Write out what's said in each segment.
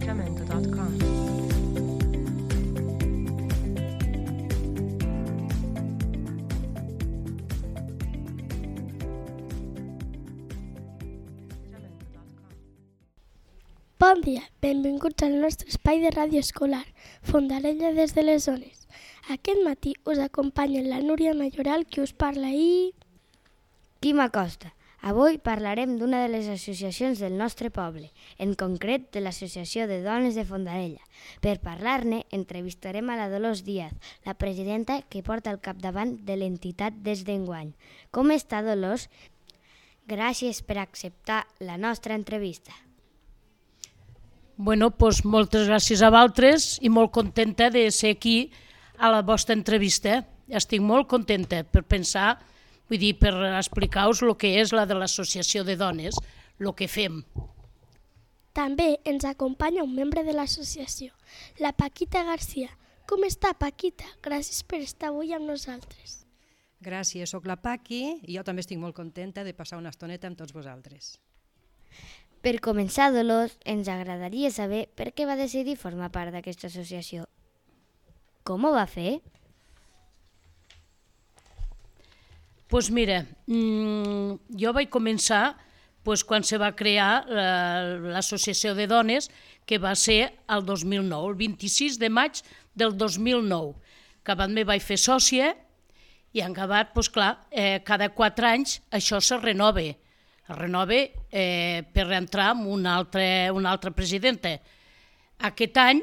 jamendo.com. Bon dia, benvinguts al nostre espai de ràdio escolar, Fondarella des de les zones. Aquest matí us acompanyen la Núria Mayoral, qui us parla, i... Quim Acosta. Avui parlarem d'una de les associacions del nostre poble, en concret de l'Associació de Dones de Fondarella. Per parlar-ne, entrevistarem a la Dolors Díaz, la presidenta que porta al capdavant de l'entitat des d'enguany. Com està, Dolors? Gràcies per acceptar la nostra entrevista. Bueno, doncs moltes gràcies a vosaltres i molt contenta de ser aquí a la vostra entrevista. Estic molt contenta per pensar, vull dir, per explicar-vos el que és la de l'Associació de Dones, el que fem. També ens acompanya un membre de l'associació, la Paquita Garcia. Com està, Paquita? Gràcies per estar avui amb nosaltres. Gràcies, soc la Paqui i jo també estic molt contenta de passar una estoneta amb tots vosaltres. Per començar, Dolors, ens agradaria saber per què va decidir formar part d'aquesta associació. Com ho va fer? Doncs mira, jo vaig començar quan se va crear l'Associació de Dones, que va ser el 2009, el 26 de maig del 2009. Acabat me vaig fer sòcia i en acabat, clar, cada 4 anys això se renova. Es renova per entrar amb una altra presidenta. Aquest any,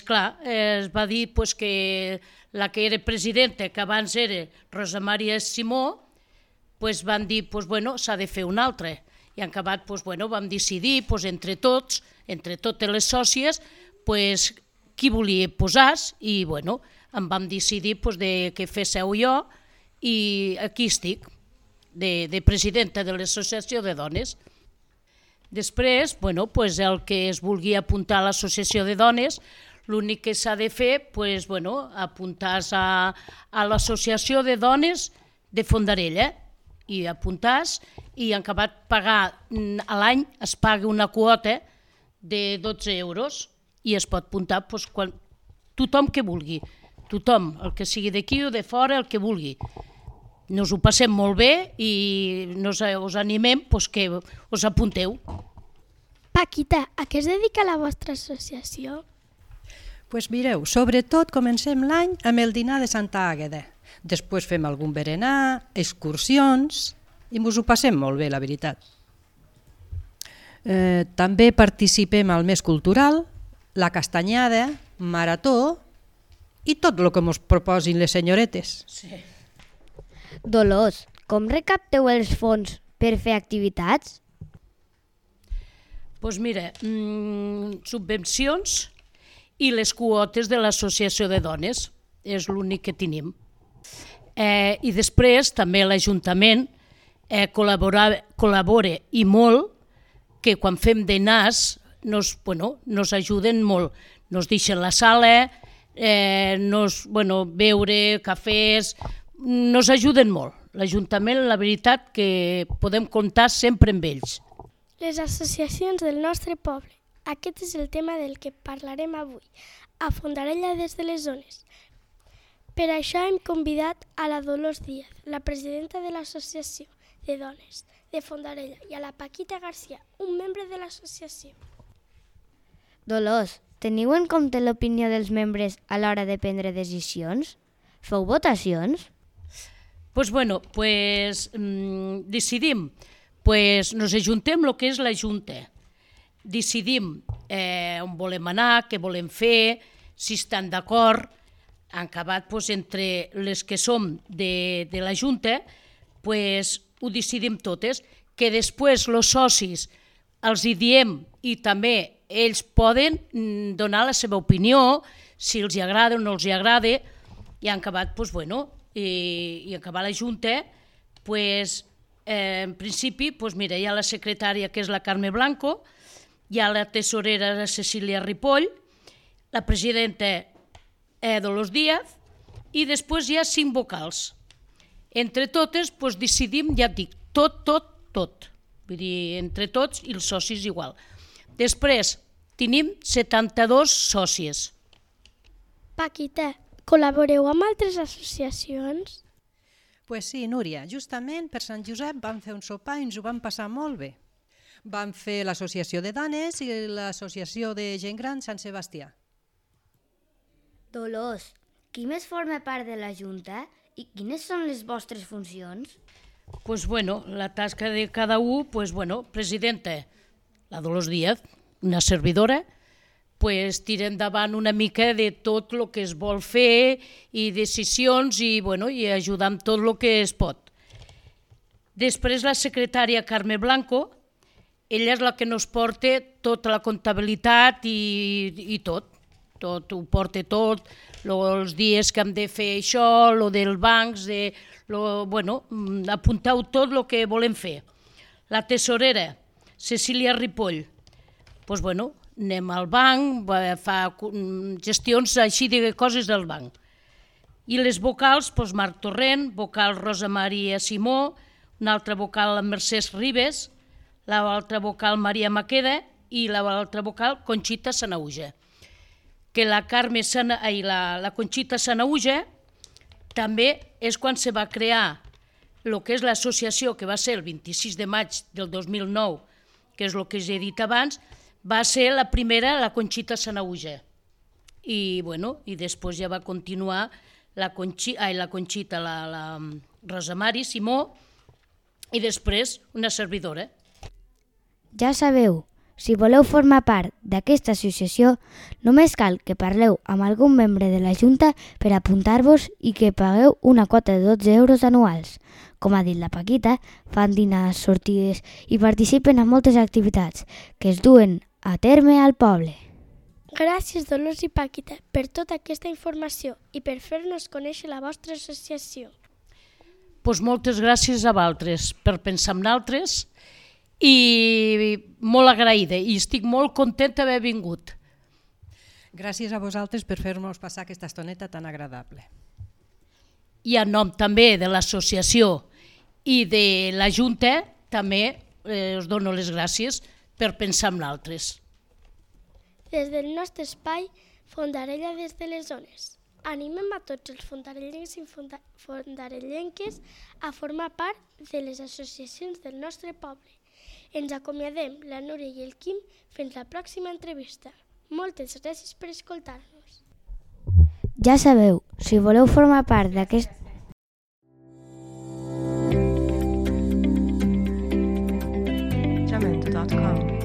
clar, es va dir que la que era presidenta, que abans era Rosa Maria Simó, van dir que s'ha de fer una altra. I en acabat vam decidir entre tots, entre totes les sòcies, qui volia posar-se i em vam decidir que féssiu jo i aquí estic, de presidenta de l'Associació de Dones. Després, el que es vulgui apuntar a l'Associació de Dones, l'únic que s'ha de fer és apuntar-se a l'Associació de Dones de Fondarella i apuntar-se i en acabat pagar a l'any es paga una quota de 12 euros i es pot apuntar tothom que vulgui, tothom, el que sigui d'aquí o de fora, el que vulgui. Nos ho passem molt bé i us animem que us apunteu. Paquita, a què es dedica la vostra associació? Doncs mireu, sobretot comencem l'any amb el dinar de Santa Àgueda. Després fem algun berenar, excursions i ens ho passem molt bé, la veritat. També participem al mes cultural, la castanyada, marató i tot el que ens proposin les senyoretes. Sí. Dolors, com recapteu els fons per fer activitats? Doncs mira, subvencions i les quotes de l'Associació de Dones, és l'únic que tenim. I després també l'Ajuntament col·labora i molt, que quan fem dinars nos ajuden molt. Nos deixen la sala, beure, cafès, nos ajuden molt. L'Ajuntament, la veritat, que podem comptar sempre amb ells. Les associacions del nostre poble. Aquest és el tema del que parlarem avui, a Fondarella des de les zones. Per això hem convidat a la Dolors Díaz, la presidenta de l'Associació de Dones de Fondarella, i a la Paquita Garcia, un membre de l'associació. Dolors, teniu en compte l'opinió dels membres a l'hora de prendre decisions? Feu votacions? Decidim, nos ajuntem el que és la Junta. Decidim on volem anar, què volem fer, si estan d'acord. En acabat, entre les que som de la Junta, ho decidim totes, que després els socis els hi diem i també ells poden donar la seva opinió, si els agrada o no els agrada, i en acabat, i acabar la Junta, en principi, hi ha la secretària, que és la Carme Blanco, hi ha la tesorera, la Cecília Ripoll, la presidenta Dolors Díaz, i després hi ha 5 vocals. Entre totes decidim, ja et dic, tot. Vull dir, entre tots i els socis igual. Després, tenim 72 sòcies. Paquita, col·laboreu amb altres associacions? Pues sí, Núria, justament per Sant Josep vam fer un sopar i ens ho vam passar molt bé. Vam fer l'associació de dones i l'associació de gent gran Sant Sebastià. Dolors, qui més forma part de la Junta i quines són les vostres funcions? Pues bueno, la tasca de cada un, pues bueno, presidenta, la Dolors Díaz, una servidora, pues tira endavant una mica de tot el que es vol fer i decisions i, bueno, i ajudar amb tot el que es pot. Després la secretària Carme Blanco, ella és la que nos porta tota la comptabilitat i tot ho porta tot, els dies que hem de fer això, el dels bancs, apunteu tot el que volem fer. La tesorera, Cecília Ripoll, doncs bueno, anem al banc, fa gestions així de coses del banc. I les vocals, doncs Marc Torrent, vocal Rosa Maria Simó, una altra vocal Mercès Ribes, l'altra vocal Maria Maqueda i l'altra vocal Conxita Sanauja. Que la Conxita Sanauja també és quan se va crear el que és l'associació, que va ser el 26 de maig del 2009, que és el que us he dit abans, va ser la primera, la Conxita Sanauja. I després ja va continuar la Conxita, la Rosa Mari Simó, i després una servidora. Ja sabeu, si voleu formar part d'aquesta associació, només cal que parleu amb algun membre de la Junta per apuntar-vos i que pagueu una quota de 12 euros anuals. Com ha dit la Paquita, fan dinars, sortides i participen en moltes activitats que es duen a terme al poble. Gràcies, Dolors i Paquita, per tota aquesta informació i per fer-nos conèixer la vostra associació. Doncs moltes gràcies a vosaltres per pensar en nosaltres i molt agraïda i estic molt contenta d'haver vingut. Gràcies a vosaltres per fer-nos passar aquesta estoneta tan agradable. I en nom també de l'associació i de la Junta també us dono les gràcies per pensar en nosaltres. Des del nostre espai, Fondarella des de les zones. Animem a tots els fondarellencs i fondarellenques a formar part de les associacions del nostre poble. Ens acomiadem, la Núria i el Quim, fins la pròxima entrevista. Moltes gràcies per escoltar-nos. Ja sabeu, si voleu formar part d'aquest... Jamendo.com